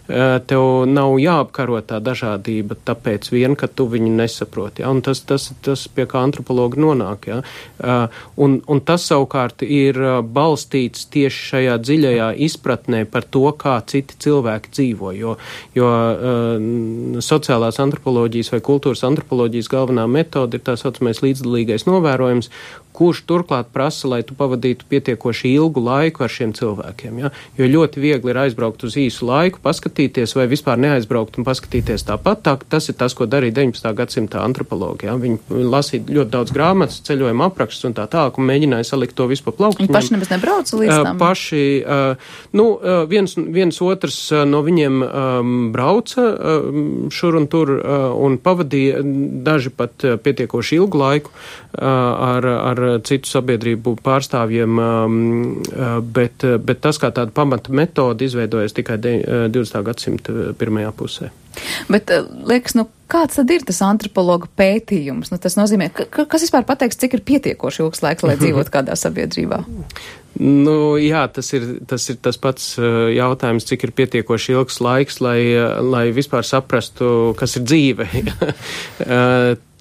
[SPEAKER 5] tev nav jāapkaro tā dažādība, tāpēc vien, ka tu viņu nesaproti. Ja? Un tas, tas, tas pie kā antropologi nonāk. Ja? Un, un tas savukārt ir balstīts tieši šajā dziļajā izpratnē par to, kā citi cilvēki dzīvo. Jo, jo sociālās antropoloģijas vai kultūras antropoloģijas galvenā metode ir tā saucamais līdzdalīgais novērojums, kurš turklāt prasa, lai tu pavadītu pietiekoši ilgu laiku ar šiem cilvēkiem. Ja? Jo ļoti viegli ir aizbraukt uz īsu laiku, paskatīties vai vispār neaizbraukt un paskatīties tāpat. Tā, tas ir tas, ko darīja deviņpadsmitā gadsimta antropologi. Ja? Viņi lasīja ļoti daudz grāmatas, ceļojuma aprakstus un tā tālāk un mēģināja salikt to visu pa plauktiņiem.
[SPEAKER 2] Viņi paši nemaz nebrauca līdz tam?
[SPEAKER 5] Paši, nu, viens, viens otrs no viņiem brauca šur un tur un pavadīja daži pat pietiekoši ilgu laiku ar, ar citu sabiedrību pārstāvjiem, bet, bet tas kā tāda pamata metoda izveidojas tikai divdesmitā gadsimta pirmajā pusē.
[SPEAKER 2] Bet, liekas, nu, kāds tad ir tas antropologa pētījums? Nu, tas nozīmē, ka, kas vispār pateiks, cik ir pietiekoši ilgs laiks, lai dzīvot kādā sabiedrībā?
[SPEAKER 5] Nu, jā, tas ir, tas ir tas pats jautājums, cik ir pietiekoši ilgs laiks, lai, lai vispār saprastu, kas ir dzīve.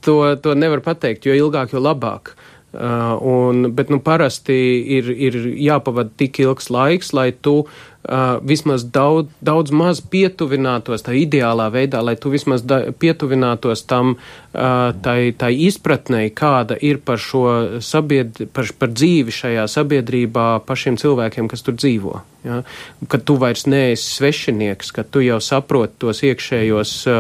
[SPEAKER 5] to, to nevar pateikt, jo ilgāk, jo labāk. Uh, un, bet, nu, parasti ir, ir jāpavada tik ilgs laiks, lai tu uh, vismaz daudz, daudz maz pietuvinātos tā ideālā veidā, lai tu vismaz da, pietuvinātos tam, uh, tai, tai izpratnei, kāda ir par šo sabied, par, par dzīvi šajā sabiedrībā pašiem cilvēkiem, kas tur dzīvo. Ja? Kad tu vairs neesi svešinieks, kad tu jau saproti tos iekšējos uh,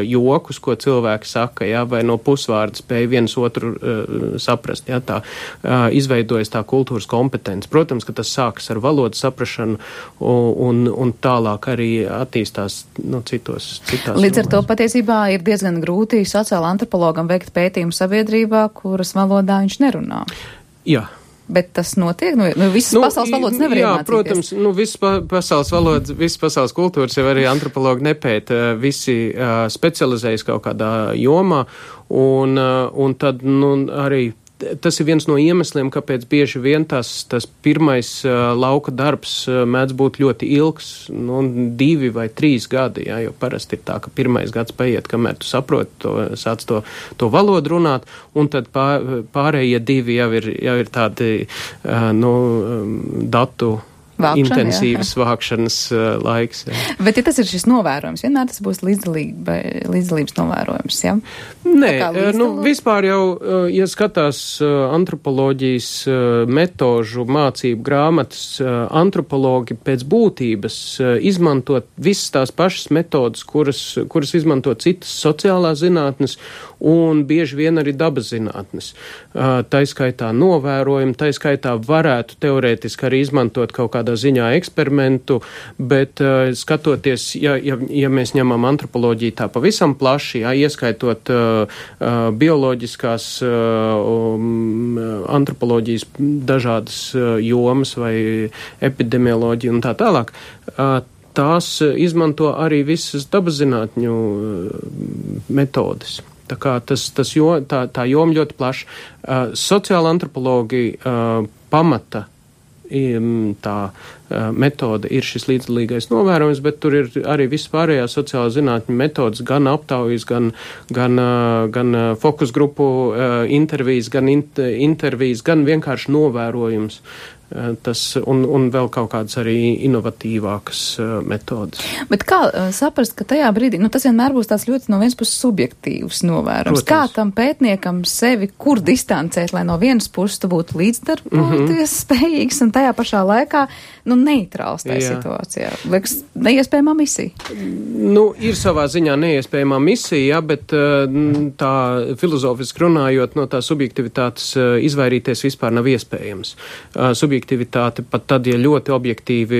[SPEAKER 5] jokus, ko cilvēki saka, ja? Vai no pusvārda spēj viens otru uh, saprast. Ja? Tā uh, izveidojas tā kultūras kompetence. Protams, ka tas sākas ar valodas saprašanu un, un tālāk arī attīstās no citos. Citās
[SPEAKER 2] Līdz ar
[SPEAKER 5] jomās.
[SPEAKER 2] to patiesībā ir diezgan grūti sociāla antropologam veikt pētījumu sabiedrībā, kuras valodā viņš nerunā.
[SPEAKER 5] Jā.
[SPEAKER 2] Bet tas notiek? Nu, nu visas nu, pasaules valodas nevar
[SPEAKER 5] jā,
[SPEAKER 2] iemācīties.
[SPEAKER 5] Protams, nu, visas pa, pasaules valodas, visas pasaules kultūras jau arī antropologi nepēta. Visi uh, specializējas kaut kādā jomā, un, uh, un tad, nu, arī tas ir viens no iemesliem, kāpēc bieži vien tas, tas pirmais uh, lauka darbs uh, mēdz būt ļoti ilgs, nu, divi vai trīs gadi, jā, jo parasti ir tā, ka pirmais gads paiet, kamēr tu saproti to, sāc to, to valodu runāt, un tad pār, pārējie divi jau ir, jau ir tādi, uh, nu, um, datu Vākšana, intensīvas jā, jā. vākšanas uh, laiks. Jā.
[SPEAKER 2] Bet ja tas ir šis novērojums, vienmēr tas būs līdzdalība, līdzdalības novērojums, jā?
[SPEAKER 5] Nē, nu, vispār jau, ja skatās uh, antropoloģijas uh, metožu mācību grāmatas, uh, antropologi pēc būtības uh, izmantot visas tās pašas metodas, kuras, kuras izmanto citas sociālās zinātnes un bieži vien arī dabas zinātnes. Uh, taiskaitā novērojumi, taiskaitā varētu teorētiski arī izmantot kaut kādā ziņā eksperimentu, bet uh, skatoties, ja, ja, ja mēs ņemam antropoloģiju tā pavisam plaši, ja, ieskaitot uh, uh, bioloģiskās uh, um, antropoloģijas dažādas uh, jomas vai epidemioloģiju un tā tālāk, uh, tās izmanto arī visas dabas zinātņu uh, metodes. Tā kā tas, tas jo, tā, tā joma ļoti plaša. Uh, sociāla antropologi uh, pamata um, tā uh, metode ir šis līdzdalīgais novērojums, bet tur ir arī viss pārējās sociāla zinātņu metodas, gan aptaujas, gan, gan, uh, gan uh, fokus grupu uh, intervijas, gan int, intervijas, gan vienkārši novērojums. Tas, un, un vēl kaut kādas arī inovatīvākas uh, metodas.
[SPEAKER 2] Bet kā uh, saprast, ka tajā brīdī, nu tas vienmēr būs tāds ļoti no vienas puses subjektīvs novērums. Protams. Kā tam pētniekam sevi kur distancēt, lai no vienas puses tu būtu līdzdarboties mm-hmm. spējīgs un tajā pašā laikā, nu, neitrāls tajā Jā. situācijā. Liekas, neiespējamā misija.
[SPEAKER 5] Nu, ir savā ziņā neiespējamā misija, ja, bet uh, tā filozofiski runājot no tā subjektivitātes uh, izvairīties vispār nav iespējams. Uh, Subjektivitāte pat tad, ja ļoti objektīvi,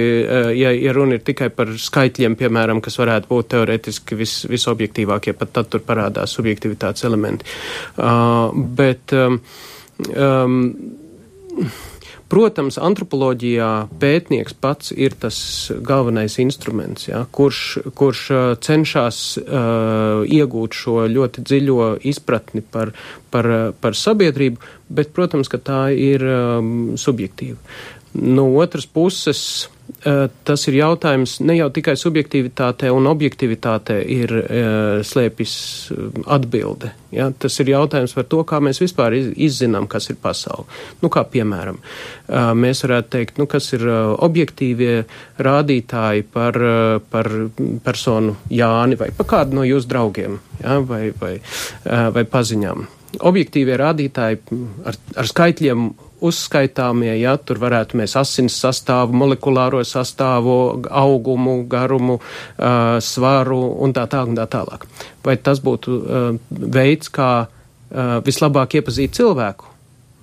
[SPEAKER 5] ja, ja runa ir tikai par skaitļiem, piemēram, kas varētu būt teorētiski vis, visobjektīvākie, pat tad tur parādās subjektivitātes elementi. Uh, bet, um, um, protams, antropoloģijā pētnieks pats ir tas galvenais instruments, ja, kurš, kurš uh, cenšas uh, iegūt šo ļoti dziļo izpratni par, par, par sabiedrību, bet, protams, ka tā ir um, subjektīva. No otras puses, uh, tas ir jautājums ne jau tikai subjektivitātē un objektivitātē ir uh, slēpjas atbilde. Ja? Tas ir jautājums par to, kā mēs vispār iz, izzinām, kas ir pasaule. Nu, kā piemēram, uh, mēs varētu teikt, nu, kas ir uh, objektīvie rādītāji par, uh, par personu Jāni vai par kādu no jūsu draugiem, ja? vai, vai, uh, vai paziņām. Objektīvie rādītāji ar, ar skaitļiem uzskaitāmie, ja, tur varētu mēs asins sastāvu, molekulāro sastāvu, augumu, garumu, uh, svaru un tā tā un tā tālāk. Vai tas būtu uh, veids, kā uh, vislabāk iepazīt cilvēku?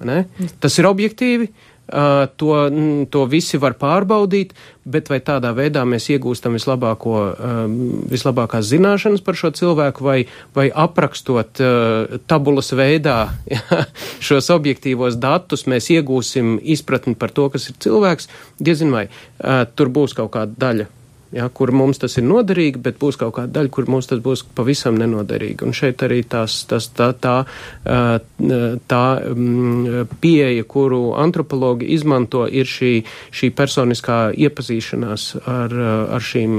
[SPEAKER 5] Ne? Tas ir objektīvi, to, to visi var pārbaudīt, bet vai tādā veidā mēs iegūstam vislabāko, vislabākās zināšanas par šo cilvēku, vai, vai aprakstot tabulas veidā ja, šos objektīvos datus, mēs iegūsim izpratni par to, kas ir cilvēks, diezin vai tur būs kaut kāda daļa. Ja, kur mums tas ir noderīgi, bet būs kaut kāda daļa, kur mums tas būs pavisam nenoderīgi. Un šeit arī tās, tas, tā, tā, tā pieeja, kuru antropologi izmanto, ir šī, šī personiskā iepazīšanās ar, ar šīm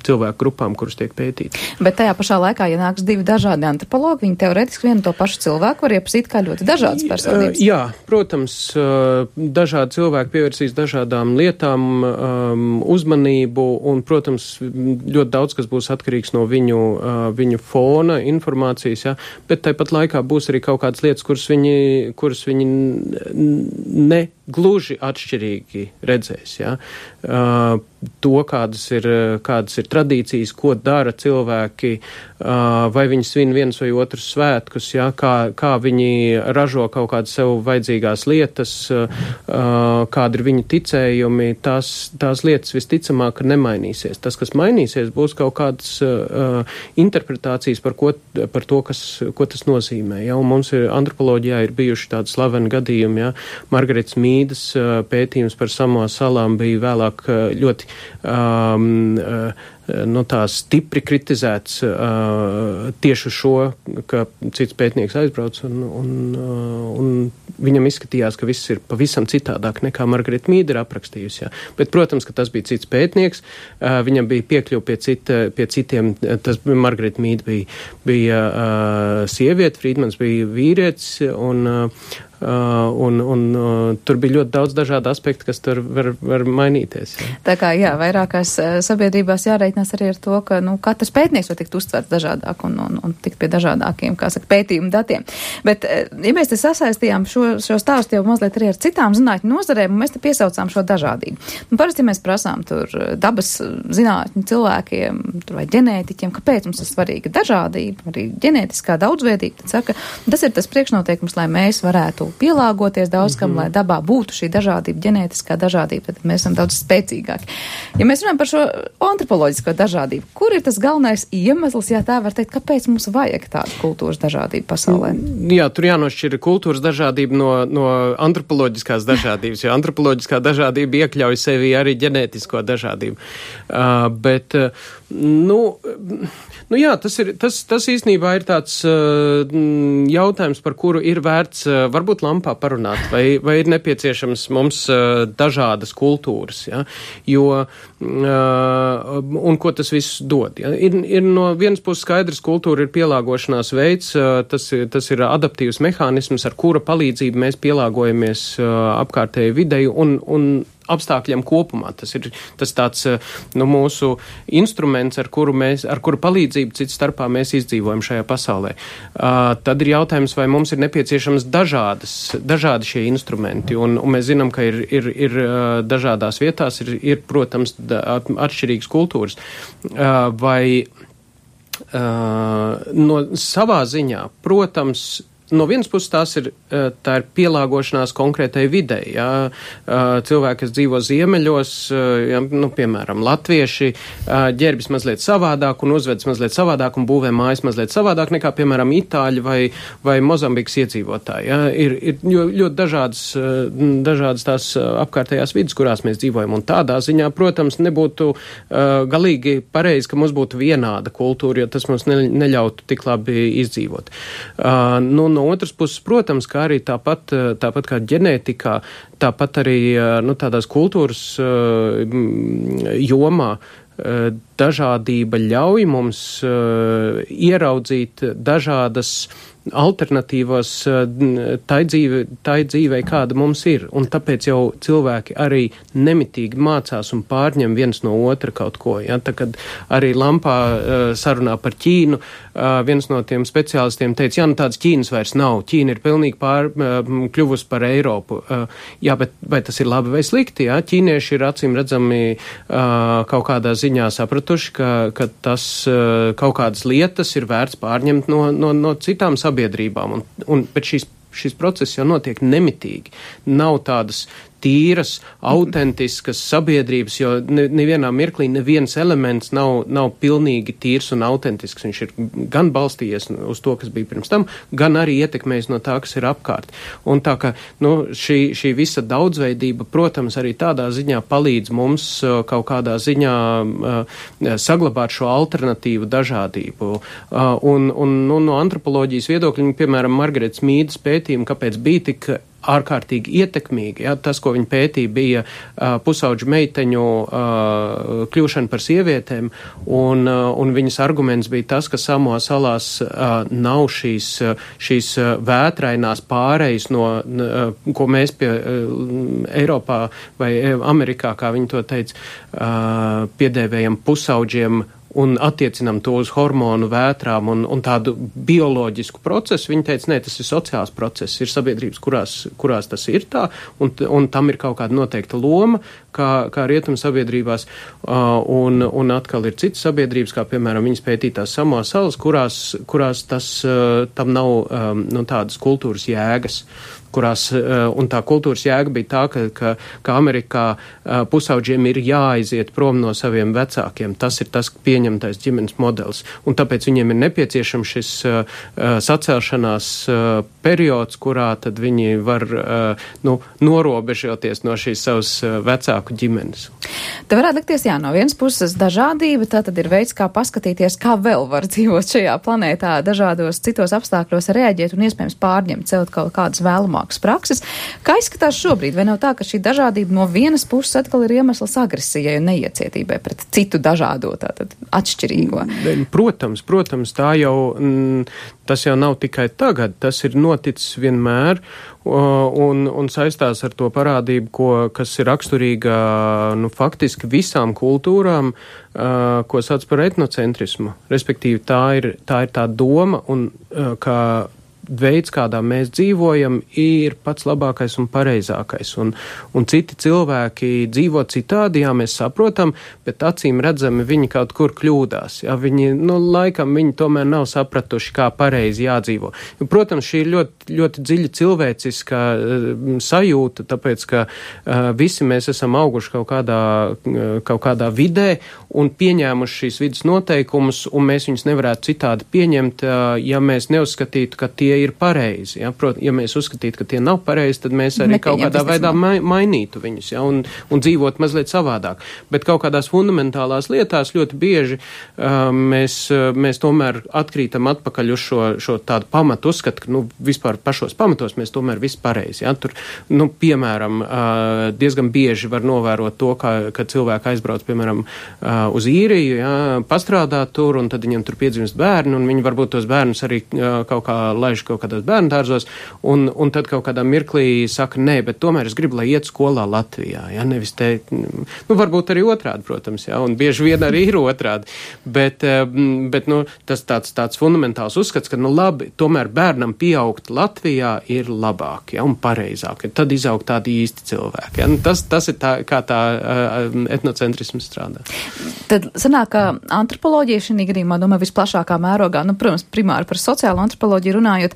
[SPEAKER 5] cilvēku grupām, kuras tiek pētītas.
[SPEAKER 2] Bet tajā pašā laikā, ja nāks divi dažādi antropologi, viņi teoretiski vienu to pašu cilvēku var iepazīt kā ļoti dažādas personības.
[SPEAKER 5] Jā, protams, dažādi cilvēki pievērsīs dažādām lietām, uzmanību, un, protams, ļoti daudz, kas būs atkarīgs no viņu, uh, viņu fona, informācijas, ja, bet tāpat laikā būs arī kaut kādas lietas, kuras viņi, kuras viņi ne gluži atšķirīgi redzēs, ja. Uh, to, kādas ir, kādas ir tradīcijas, ko dara cilvēki, uh, vai viņi svin viens vai otrs svētkus, ja, kā, kā viņi ražo kaut kādas sev vajadzīgās lietas, uh, kādi ir viņu ticējumi, tās, tās lietas visticamāk nemainīsies. Tas, kas mainīsies, būs kaut kādas uh, interpretācijas par, ko, par to, kas, ko tas nozīmē. Ja? Un mums ir, antropoloģijā ir bijuši tādi slaveni gadījumi. Ja? Margaretas Mīdas uh, pētījums par Samoa salām bija vēlāk uh, ļoti um, uh, no tā stipri kritizēts uh, tieši šo, ka cits pētnieks aizbrauc un, un, uh, un viņam izskatījās, ka viss ir pavisam citādāk nekā Margareta Mīda ir aprakstījusi. Jā. Bet, protams, ka tas bija cits pētnieks, uh, viņam bija piekļuva pie, cita, pie citiem, tas Margareta Mīda bija, bija uh, sieviete, Frīdmans bija vīrietis, un uh, Uh, un, un uh, tur bija ļoti daudz dažādu aspektu, kas tur var, var mainīties. Jā.
[SPEAKER 2] Tā kā, jā, vairākās uh, sabiedrībās jāreikinās arī ar to, ka, nu, katrs pētnieks var tikt uztverts dažādāk un, un, un tikt pie dažādākiem, kā saka, pētījumu datiem. Bet, uh, ja mēs te sasaistījām šo, šo stāstu jau mazliet arī ar citām zinātņu nozarēm, un mēs te piesaucām šo dažādību. Nu, parasti mēs prasām tur dabas zinātņu cilvēkiem, tur vai ģenētiķiem, kāpēc mums ir svarīga dažādība, arī ģenētiskā daudzveidība, tad saka, tas ir tas priekšnoteikums, lai mēs varētu pielāgoties daudz kam, mm-hmm. lai dabā būtu šī dažādība, ģenētiskā dažādība, tad mēs esam daudz spēcīgāki. Ja mēs runājam par šo antropoloģisko dažādību, kur ir tas galvenais iemesls, ja tā var teikt, kāpēc mums vajag tādu kultūras dažādību pasaulē?
[SPEAKER 5] Jā, tur jānošķir kultūras dažādība no, no antropoloģiskās dažādības, jo antropoloģiskā dažādība iekļauj sevi arī ģenētisko dažādību. Uh, bet, uh, nu, nu jā, tas ir, tas, tas īstenībā ir tāds uh, jautājums, par kuru ir vērts uh, varbūt lampā parunāt, vai, vai ir nepieciešams mums uh, dažādas kultūras, ja? Jo, uh, un ko tas viss dod. Ja? Ir, ir no vienas puses skaidrs, kultūra ir pielāgošanās veids, uh, tas, tas ir adaptīvs mehānisms, ar kura palīdzību mēs pielāgojamies uh, apkārtēji videi un, un apstākļiem kopumā. Tas ir tas tāds, nu, mūsu instruments, ar kuru mēs, ar kuru palīdzību cits starpā mēs izdzīvojam šajā pasaulē. Uh, tad ir jautājums, vai mums ir nepieciešams dažādas, dažādi šie instrumenti, un, un mēs zinām, ka ir, ir, ir dažādās vietās, ir, ir protams, atšķirīgas kultūras. Uh, vai uh, no savā ziņā, protams, no vienas puses tās ir, tā ir pielāgošanās konkrētai videi. Ja? Cilvēki, kas dzīvo ziemeļos, ja, nu, piemēram, latvieši, ģērbjas mazliet savādāk un uzvedas mazliet savādāk un būvē mājas mazliet savādāk nekā, piemēram, itāļi vai, vai Mozambikas iedzīvotāji. Ja? Ir, ir ļoti dažādas, dažādas tās apkārtējās vidas, kurās mēs dzīvojam. Un tādā ziņā, protams, nebūtu uh, galīgi pareizi, ka mums būtu vienāda kultūra, jo tas mums ne, neļautu tik labi izdzīvot. Uh, nu, No otras puses, protams, kā arī tāpat, tāpat kā ģenētikā, tāpat arī nu, tādās kultūras jomā dažādība ļauj mums ieraudzīt dažādas alternatīvas tai dzīve, tai dzīvei, kāda mums ir. Un tāpēc jau cilvēki arī nemitīgi mācās un pārņem viens no otra kaut ko. Ja? Tā, kad arī Lampā uh, sarunā par Ķīnu, uh, viens no tiem speciālistiem teica, jā, nu tādas Ķīnas vairs nav. Ķīna ir pilnīgi pār, uh, kļuvusi par Eiropu. Uh, jā, bet vai tas ir labi vai slikti? Ja? Ķīnieši ir acīm redzami uh, kaut kādā ziņā sapratuši, ka, ka tas uh, kaut kādas lietas ir vērts pārņemt no, no, no citām sabiedrībām. Un, un, bet šīs šis process jau notiek nemitīgi. Nav tādas tīras, autentiskas sabiedrības, jo nevienā mirklī neviens elements nav, nav pilnīgi tīrs un autentisks. Viņš ir gan balstījies uz to, kas bija pirms tam, gan arī ietekmējis no tā, kas ir apkārt. Un tā ka, nu, šī, šī visa daudzveidība, protams, arī tādā ziņā palīdz mums kaut kādā ziņā uh, saglabāt šo alternatīvu dažādību. Uh, un, un nu, no antropoloģijas viedokļa, piemēram, Margaretas Mīdas pētījumi, kāpēc bija tik ārkārtīgi ietekmīgi. Ja? Tas, ko viņi pētīja, bija uh, pusauģu meiteņu uh, kļūšana par sievietēm, un, uh, un viņas arguments bija tas, ka Samoa salās uh, nav šīs, uh, šīs uh, vētrainās pārejas, no, uh, ko mēs pie uh, Eiropā vai Amerikā, kā viņi to teica, uh, piedēvējam pusauģiem, un attiecinam to uz hormonu vētrām un, un tādu bioloģisku procesu. Viņi teica, nē, tas ir sociāls process, ir sabiedrības, kurās, kurās tas ir tā, un, un tam ir kaut kāda noteikta loma, kā, kā rietumu sabiedrībās, uh, un, un atkal ir citas sabiedrības, kā piemēram viņas pētītās Samoa salas, kurās, kurās tas, uh, tam nav um, no tādas kultūras jēgas. Kurās, un tā kultūras jēga bija tā, ka, ka, ka Amerikā pusauģiem ir jāaiziet prom no saviem vecākiem. Tas ir tas pieņemtais ģimenes modelis. Un tāpēc viņiem ir nepieciešams šis uh, sacelšanās uh, periods, kurā tad viņi var uh, nu, norobežoties no šīs savas uh, vecāku ģimenes.
[SPEAKER 2] Te varētu likties, jā, no vienas puses dažādība, tā tad ir veids, kā paskatīties, kā vēl var dzīvot šajā planētā, dažādos citos apstākļos reaģēt un iespējams pārņemt sev kaut kādas vēlumā prakses. Kā izskatās šobrīd? Vai nav tā, ka šī dažādība no vienas puses atkal ir iemesls agresijai un neiecietībai pret citu dažādo, tātad atšķirīgo?
[SPEAKER 5] Protams, protams, tā jau, tas jau nav tikai tagad, tas ir noticis vienmēr un, un saistās ar to parādību, ko, kas ir raksturīga, nu, faktiski visām kultūrām, ko sauc par etnocentrismu. Respektīvi, tā ir tā, ir tā doma un kā veids, kādā mēs dzīvojam, ir pats labākais un pareizākais. Un, un citi cilvēki dzīvo citādi, jā, mēs saprotam, bet acīm redzami viņi kaut kur kļūdās. Jā, viņi, nu, laikam viņi tomēr nav sapratuši, kā pareizi jādzīvo. Protams, šī ir ļoti, ļoti dziļa cilvēciska uh, sajūta, tāpēc, ka uh, visi mēs esam auguši kaut kādā, uh, kaut kādā vidē un pieņēmuši šīs vidas noteikumus, un mēs viņus nevarētu citādi pieņemt, uh, ja mēs neuzskatītu, ka tie ir pareizi. Ja? Prot, ja mēs uzskatītu, ka tie nav pareizi, tad mēs arī kaut kādā veidā ma mainītu viņus, ja? un, un dzīvot mazliet savādāk. Bet kaut kādās fundamentālās lietās ļoti bieži uh, mēs, uh, mēs tomēr atkrītam atpakaļ uz šo, šo tādu pamatu uzskatu, ka nu, vispār pašos pamatos mēs tomēr viss pareizi. Ja? Tur, nu, piemēram, uh, diezgan bieži var novērot to, ka, ka cilvēki aizbrauc, piemēram, uh, uz īriju, ja? Pastrādāt tur, un tad viņam tur piedzimst bērni, un viņi varbūt tos bērnus arī uh, kaut kā laiž kaut kādos bērnu dārzos, un, un tad kaut kādā mirklī saka, nē, bet tomēr es gribu, lai iet skolā Latvijā, ja, nevis te, nu, varbūt arī otrādi, protams, ja, un bieži vien arī ir otrādi, bet, bet, nu, tas tāds, tāds fundamentāls uzskats, ka, nu, labi, tomēr bērnam pieaugt Latvijā ir labāk, ja, un pareizāk, tad izaug tādi īsti cilvēki, ja, nu, tas, tas ir tā, kā tā uh, etnocentrisms strādā.
[SPEAKER 2] Tad sanāk, ka antropoloģija šī gadījumā, domāju, visplašākā mērogā, nu, protams, primāri par sociālo antropoloģiju runājot,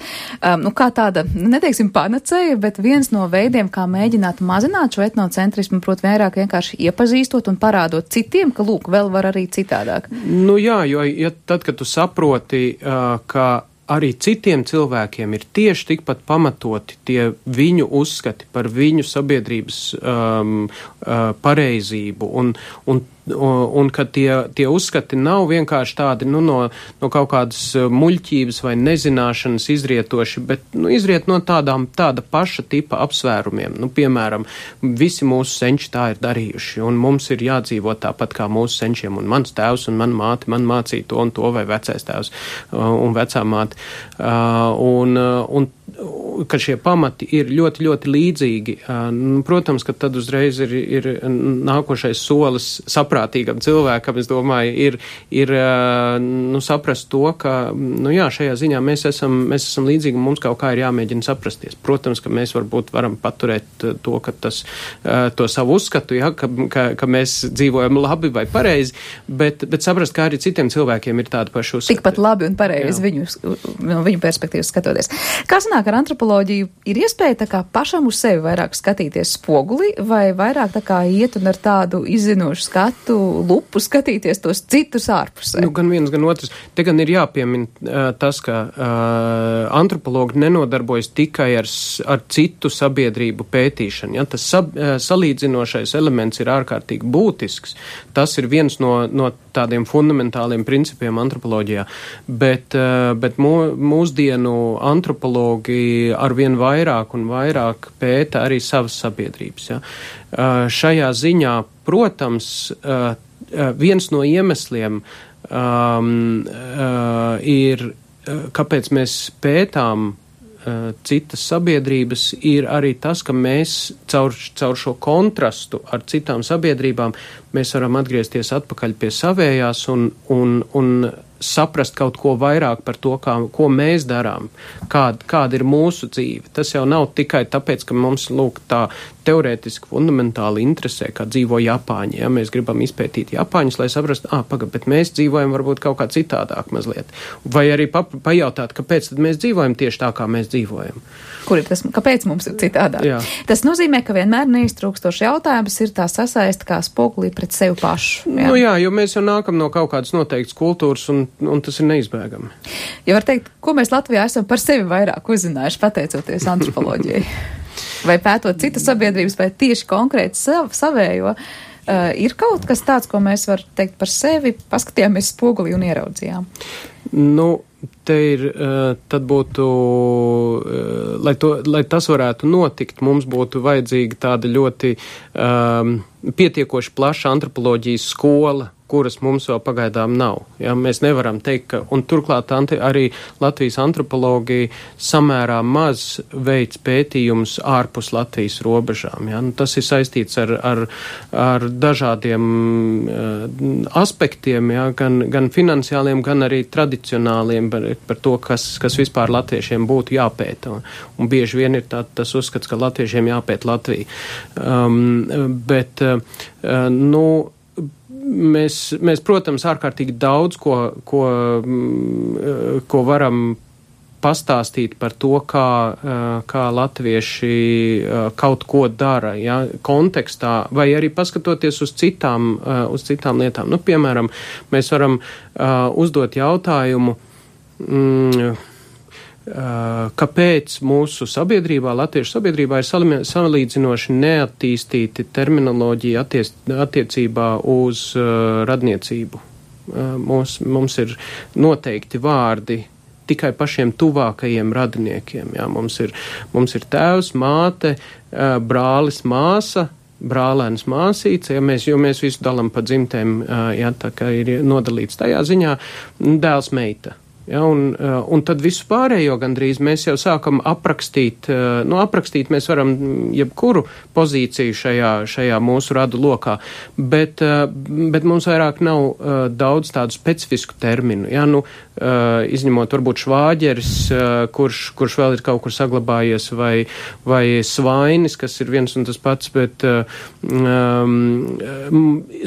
[SPEAKER 2] Um, nu, kā tāda, neteiksim, panacēja, bet viens no veidiem, kā mēģināt mazināt šo etnocentrismu, proti vairāk vienkārši iepazīstot un parādot citiem, ka, lūk, vēl var arī citādāk.
[SPEAKER 5] Nu jā, jo ja tad, kad tu saproti, uh, ka arī citiem cilvēkiem ir tieši tikpat pamatoti tie viņu uzskati par viņu sabiedrības um, uh, pareizību un, un Un ka tie, tie uzskati nav vienkārši tādi, nu, no, no kaut kādas muļķības vai nezināšanas izrietoši, bet, nu, izriet no tādām, tāda paša tipa apsvērumiem. Nu, piemēram, visi mūsu senči tā ir darījuši, un mums ir jādzīvot tāpat kā mūsu senčiem, un mans tēvs un man māte, man mācīja to un to, vai vecais tēvs un vecā māte. Un, un ka šie pamati ir ļoti, ļoti līdzīgi. Protams, ka tad uzreiz ir, ir nākošais solis saprātīgam cilvēkam, es domāju, ir, ir nu, saprast to, ka, nu jā, šajā ziņā mēs esam, mēs esam līdzīgi un mums kaut kā ir jāmēģina saprasties. Protams, ka mēs varbūt varam paturēt to, ka tas, to savu uzskatu, ja, ka, ka, ka mēs dzīvojam labi vai pareizi, bet, bet saprast, kā arī citiem cilvēkiem ir tāda paša uzskata.
[SPEAKER 2] Tikpat labi un pareizi viņu, no viņu perspektīvas skatoties. Kā sanāk ar antropoloģiju ir iespēja tā kā pašam uz sevi vairāk skatīties spogulī, vai vairāk tā kā iet un ar tādu izzinošu skatu, lupu skatīties tos citus ārpusē?
[SPEAKER 5] Nu, gan viens, gan otrs. Te gan ir jāpiemina uh, tas, ka uh, antropologi nenodarbojas tikai ar, ar citu sabiedrību pētīšanu. Ja? Tas sab, uh, salīdzinošais elements ir ārkārtīgi būtisks. Tas ir viens no, no tādiem fundamentāliem principiem antropoloģijā. Bet, uh, bet mū, mūsdienu antropologi arvien vairāk un vairāk pēta arī savas sabiedrības. Ja? Uh, šajā ziņā, protams, uh, uh, viens no iemesliem um, uh, ir, uh, kāpēc mēs pētām uh, citas sabiedrības, ir arī tas, ka mēs caur, caur šo kontrastu ar citām sabiedrībām mēs varam atgriezties atpakaļ pie savējās un, un, un saprast kaut ko vairāk par to, kā, ko mēs darām, kāda, kāda ir mūsu dzīve. Tas jau nav tikai tāpēc, ka mums, lūk, tā teorētiski fundamentāli interesē, kā dzīvo Japāņi. Ja? Mēs gribam izpētīt Japāņus, lai saprastu, ā, pagad, bet mēs dzīvojam varbūt kaut kā citādāk mazliet. Vai arī pa, pajautāt, kāpēc tad mēs dzīvojam tieši tā, kā mēs dzīvojam.
[SPEAKER 2] Kur ir tas, kāpēc mums ir citādāk? Jā. Tas nozīmē, ka vienmēr neiztrūkstoši jautājums ir tā sasaista kā spogulī pret sevi pašu. Jā.
[SPEAKER 5] Nu jā, jo mēs jau nākam no kaut kādas noteiktas kultūras un, un tas ir neizbēgami.
[SPEAKER 2] Ja var teikt, ko mēs Latvijā esam par sevi vairāk uzzinājuši pateicoties antropoloģijai? Vai pētot citas sabiedrības, vai tieši konkrēti sav, savējo, uh, ir kaut kas tāds, ko mēs var teikt par sevi, paskatījāmies spogulī un ieraudzījām?
[SPEAKER 5] Nu, te ir, uh, tad būtu, uh, lai, to, lai tas varētu notikt, mums būtu vajadzīga tāda ļoti um, pietiekoši plaša antropoloģijas skola, kuras mums vēl pagaidām nav. Ja, mēs nevaram teikt, ka, un turklāt anti, arī Latvijas antropologi samērā maz veids pētījumus ārpus Latvijas robežām. Ja. Nu, tas ir saistīts ar, ar, ar dažādiem uh, aspektiem, ja, gan, gan finansiāliem, gan arī tradicionāliem par, par to, kas, kas vispār latviešiem būtu jāpēta. Un, un bieži vien ir tā, tas uzskats, ka latviešiem jāpēta Latvija. Um, bet, uh, nu, Mēs, mēs, protams, ārkārtīgi daudz, ko, ko, ko varam pastāstīt par to, kā, kā latvieši kaut ko dara, ja, kontekstā, vai arī paskatoties uz citām, uz citām lietām. Nu, piemēram, mēs varam uzdot jautājumu, mm, kāpēc mūsu sabiedrībā, latviešu sabiedrībā ir salīdzinoši neattīstīti terminoloģija attiec, attiecībā uz uh, radniecību. Uh, mums, mums ir noteikti vārdi tikai pašiem tuvākajiem radiniekiem. Jā. Mums ir, mums ir tēvs, māte, uh, brālis, māsa, brālēns, māsīts, ja mēs, jo mēs visu dalam pa dzimtēm, uh, jā, tā kā ir nodalīts tajā ziņā, dēls, meita. Ja, un, un tad visu pārējo gandrīz mēs jau sākam aprakstīt, nu aprakstīt mēs varam jebkuru pozīciju šajā, šajā mūsu radu lokā, bet, bet mums vairāk nav daudz tādu specifisku terminu. Ja, nu, izņemot varbūt švāģeris, kurš, kurš vēl ir kaut kur saglabājies, vai, vai svainis, kas ir viens un tas pats, bet um,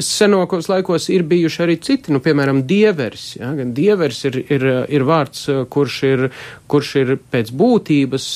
[SPEAKER 5] senākos laikos ir bijuši arī citi, nu, piemēram, dieveris. Ja, dieveris ir, ir ir vārds, kurš ir, kurš ir pēc būtības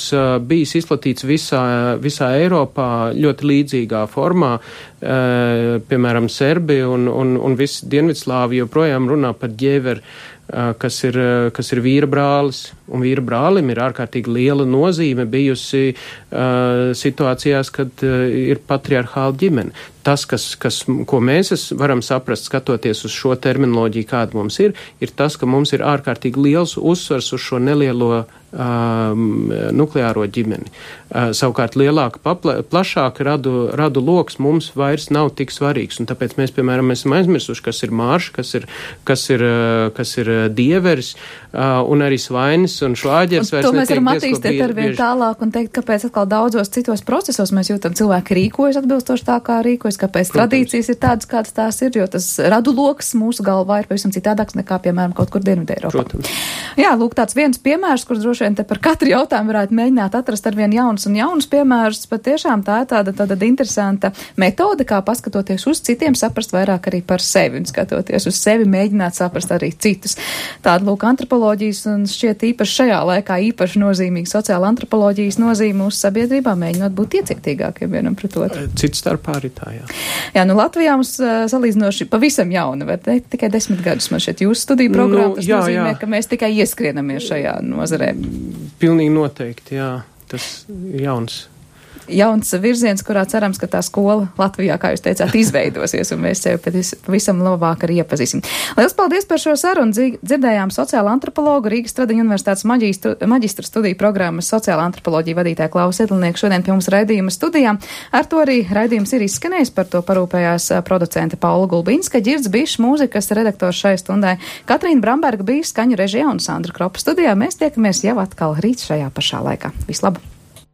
[SPEAKER 5] bijis izplatīts visā, visā Eiropā ļoti līdzīgā formā. Piemēram, Serbi un, un, un visi Dienvidslāvi joprojām runā par ģēveri, kas ir, kas ir vīra brālis. Un vīra brālim ir ārkārtīgi liela nozīme bijusi uh, situācijās, kad uh, ir patriarchāla ģimene. Tas, kas, kas, ko mēs varam saprast, skatoties uz šo terminoloģiju, kāda mums ir, ir tas, ka mums ir ārkārtīgi liels uzsvars uz šo nelielo um, nukleāro ģimeni. Uh, savukārt lielāka, papla, plašāka radu, radu loks mums vairs nav tik svarīgs. Un tāpēc mēs, piemēram, esam aizmirsuši, kas ir mārša, kas ir, kas ir, kas ir dieveris uh, un arī svainis un švāģers.
[SPEAKER 2] Un to mēs varam attīstīt ar vien tālāk un teikt, kāpēc atkal daudzos citos procesos mēs jūtam cilvēki rīkojas atbilstoši tā, kā rīkojas, kāpēc Protams. Tradīcijas ir tādas, kādas tās ir, jo tas radu loks mūsu galvā ir pavisam citādāks nekā, piemēram, kaut kur Dienvidē Eiropā.
[SPEAKER 5] Protams.
[SPEAKER 2] Jā, lūk, tāds viens piemērs, kurš droši droši vien te par katru jautājumu varētu mēģināt atrast ar vien jaunus un jaunus piemērus, bet tiešām tā ir tāda, tāda interesanta metode, kā paskatoties uz citiem, saprast vairāk arī par sevi un skatoties uz sevi, mēģināt saprast arī citus. Tāda, lūk, antropoloģijas un šķiet īpaši šajā laikā īpaši nozīmīga sociāla antropoloģijas nozīme mūsu sabiedrībā, mēģinot būt iecietīgākiem vienam pret otru.
[SPEAKER 5] Cits starpā arī tā, jā.
[SPEAKER 2] Jā, nu Latvijā mums uh, salīdzinoši pavisam jauna, var teikt, tikai desmit gadus man šeit jūsu studiju programma, tas nu, jā, nozīmē, jā. Ka mēs tikai ieskrienamies šajā nozarē.
[SPEAKER 5] Pilnīgi noteikti, jā, tas jauns.
[SPEAKER 2] Jauns virziens, kurā cerams, ka tā skola Latvijā, kā jūs teicāt, izveidosies, un mēs sevi pavisam labāk arī iepazīsim. Liels paldies par šo sarunu. Dzirdējām sociāla antropologu Rīgas Stradiņu universitātes maģistru, maģistra studiju programmas sociāla antropoloģija vadītāja Klaus Edlnieku šodien pie mums raidījuma studijā. Ar to arī raidījums ir izskanējis, par to parūpējās producente Paula Gulbinska, Ģirds Bišs, mūzikas redaktors šai stundai, Katrīna Bramberga bija skaņu režijā un Sandra Kropa studijā. Mēs tiekamies jau atkal rīt šajā pašā laikā. Vislabāk!